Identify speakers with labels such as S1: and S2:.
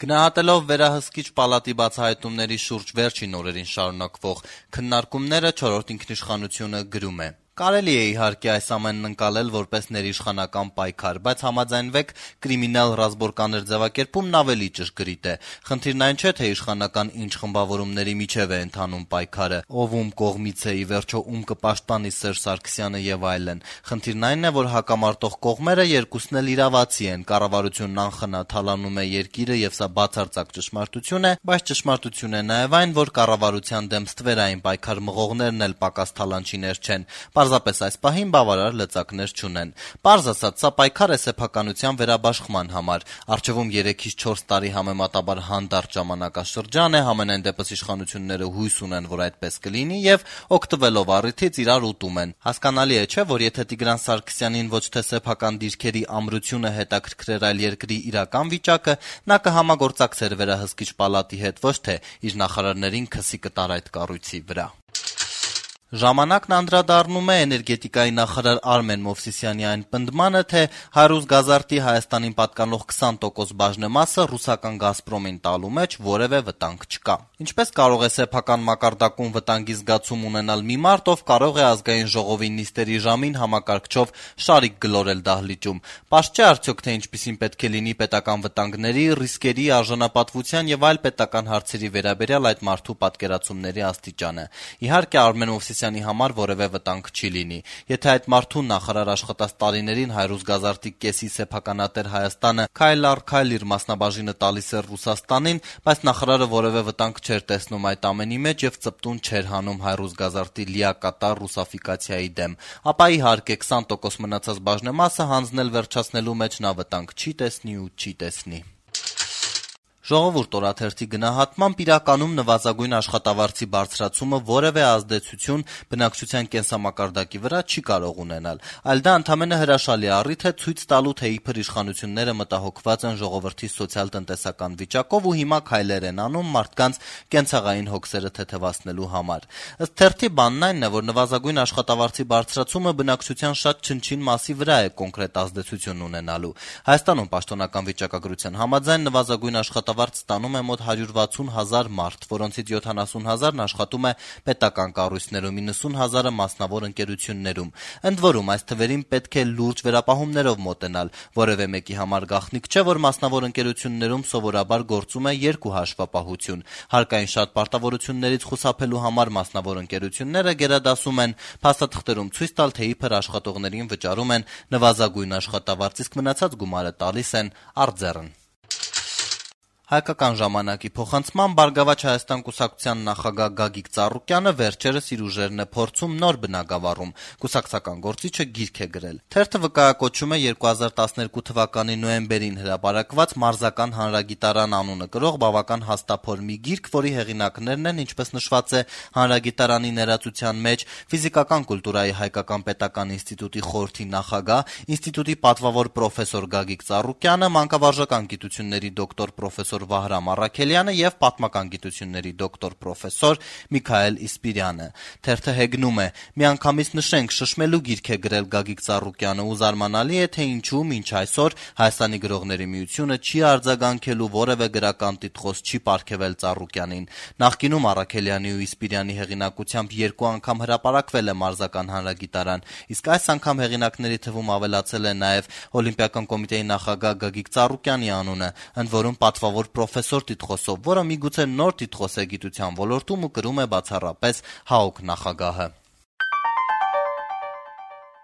S1: Գնահատելով վերահսկիչ պալատի բացահայտումների շուրջ վերջին օրերին շարունակվող քննարկումները, 4-րդ ինքնիշխանությունը գրում է. Կարելի է իհարկե այս ամենն ընկալել որպես ներիշխանական պայքար, բայց համաձայնվեք, կրիմինալ ռազմորկաներ ձևակերպումն ավելի ճշգրիտ է։ Խնդիրն այն չէ, թե իշխանական ինչ խմբավորումների միջև է ընթանում պայքարը, ով ում կողմից է, ի վերջո ում կպաշտպանի Սերժ Սարգսյանը եւ այլն։ Խնդիրն այն է, որ հակամարտող կողմերը երկուսն էլ իրավացի են, կառավարությունն անխնա թալանում է երկիրը եւ սա բացարձակ ճշմարտություն է, բայց ճշմարտություն է նաեւ այն, որ կառավարության դեմ ստվերային պայքար մղողներն էլ պակաս թալանչիներ չեն։ Պարզապես այս պահին բավարար լծակներ չունեն։ Պարզ ասած, սա պայքար է սեփականության վերաբաշխման համար։ Առջևում 3-ից 4 տարի համեմատաբար հանդարտ ժամանակաշրջան է, համենայն դեպս իշխանությունները հույս ունեն, որ այդպես կլինի եւ օգտվելով առիթից իրար ուտում են։ Հասկանալի է, չէ՞, որ եթե Տիգրան Սարգսյանին ոչ թե սեփական դիրքերի ամրությունը հետաքրքրեր, այլ երկրի իրական վիճակը, նա կհամագործակցեր վերահսկիչ պալատի հետ, ոչ թե իր նախարարներին քսի կտար այդ կառույցի վրա։ Ժամանակն անդրադառնում է էներգետիկայի նախարար Արմեն Մովսիսյանի այն պնդմանը, թե Հարուս Գազարտի Հայաստանին պատկանող 20% բաժնեմասը ռուսական Գազպրոմին տալու մեջ որևէ վտանգ չկա։ Ինչպես կարող է սեփական մակարդակում վտանգի զգացում ունենալ մի մարդ, ով կարող է ազգային ժողովի նիստերի ժամին համակարգչով շարիկ գլորել դահլիճում։ Պարզ չէ արդյոք, թե ինչպիսին պետք է լինի պետական վտանգների, ռիսկերի, արժանապատվության եւ այլ պետական հարցերի վերաբերյալ այդ մարդու պատկերացումների աստիճանը։ Իհարկե Արմեն Մովսիսյանի համար որևէ վտանգ չի լինի։ Եթե այդ մարդուն նախարար աշխատած տարիներին Հարուս Գազարտի կեսի սեփականատեր Հայաստանը քայլ առ քայլ իր մասնաբաժինը տալիս էր Ռուսաստանին, բայց նախարարը որևէ վտանգ չէր տեսնում այդ ամենի մեջ եւ ծպտուն չէր հանում Հարուս Գազարտի լիակատար ռուսաֆիկացիայի դեմ, ապա իհարկե 20% մնացած բաժնեմասը հանձնել վերջացնելու մեջ նա վտանգ չի տեսնի ու չի տեսնի։ Ժողովուրդ օրաթերթի գնահատմամբ իրականում նվազագույն աշխատավարձի բարձրացումը որևէ ազդեցություն բնակչության կենսամակարդակի վրա չի կարող ունենալ, այլ դա ընդամենը հրաշալի առիթ է ցույց տալու, թե իբր իշխանությունները մտահոգված են ժողովրդի սոցիալ-տնտեսական վիճակով ու հիմա քայլեր են անում մարդկանց կենցաղային հոգսերը թեթևացնելու համար։ Ըստ թերթի բանն այն է, որ նվազագույն աշխատավարձի բարձրացումը բնակչության շատ չնչին մասի վրա է կոնկրետ ազդեցություն ունենալու։ Հայաստանում պաշտոնական վիճակագրության համաձայն նվազագույն աշխատավարձ ստանում է մոտ 160,000 մարդ, որոնցից 70,000-ն աշխատում է պետական կառույցներում, 90,000-ը մասնավոր ընկերություններում։ Ընդ որում, այս թվերին պետք է լուրջ վերապահումներով մոտենալ։ Որևէ մեկի համար գաղտնիք չէ, որ մասնավոր ընկերություններում սովորաբար գործում է երկու հաշվապահություն։ Հարկային շատ պարտավորություններից խուսափելու համար մասնավոր ընկերությունները գերադասում են փաստաթղթերում ցույց տալ, թե իբր աշխատողներին վճարում են նվազագույն աշխատավարձ, իսկ մնացած գումարը տալիս են արձեռն։ Հայկական ժամանակի փոխանցման Բարգավաճ Հայաստան կուսակցության նախագահ Գագիկ Ծառուկյանը վերջերս իր ուժերն է փորձում նոր բնակավարում։ Կուսակցական գործիչը գիրք է գրել։ Թերթը վկայակոչում է 2012 թվականի նոյեմբերին հրապարակված Մարզական հանրագիտարան անունը կրող բավական հաստափոր մի գիրք, որի հեղինակներն են, ինչպես նշված է հանրագիտարանի ներածության մեջ, ֆիզիկական կուլտուրայի Հայկական պետական ինստիտուտի խորհրդի նախագահ, ինստիտուտի պատվավոր պրոֆեսոր Գագիկ Ծառուկյանը, մանկավարժական գիտությունների դոկտոր պրոֆեսոր Վահրամ Առաքելյանը եւ պատմական գիտությունների դոկտոր պրոֆեսոր Միքայել Իսպիրյանը։ Թերթը հեգնում է. «Միանգամից նշենք, շշմելու գիրք է գրել Գագիկ Ծառուկյանը ու զարմանալի է, թե ինչու մինչ այսօր Հայաստանի գրողների միությունը չի արձագանքելու որևէ գրական տիտղոս չի պարգևել Ծառուկյանին։ Նախկինում Առաքելյանի ու Իսպիրյանի հեղինակությամբ 2 անգամ հրապարակվել է Մարզական հանրագիտարան, իսկ այս անգամ հեղինակների թվում ավելացել է նաեւ Օլիմպիական կոմիտեի նախագահ Գագիկ Ծառուկյանի անունը, ընդ որում պատվավոր պրոֆեսոր տիտղոսով, որը միգուցե նոր տիտղոս է գիտության ոլորտում ու կրում է բացառապես ՀԱՕԿ նախագահը»։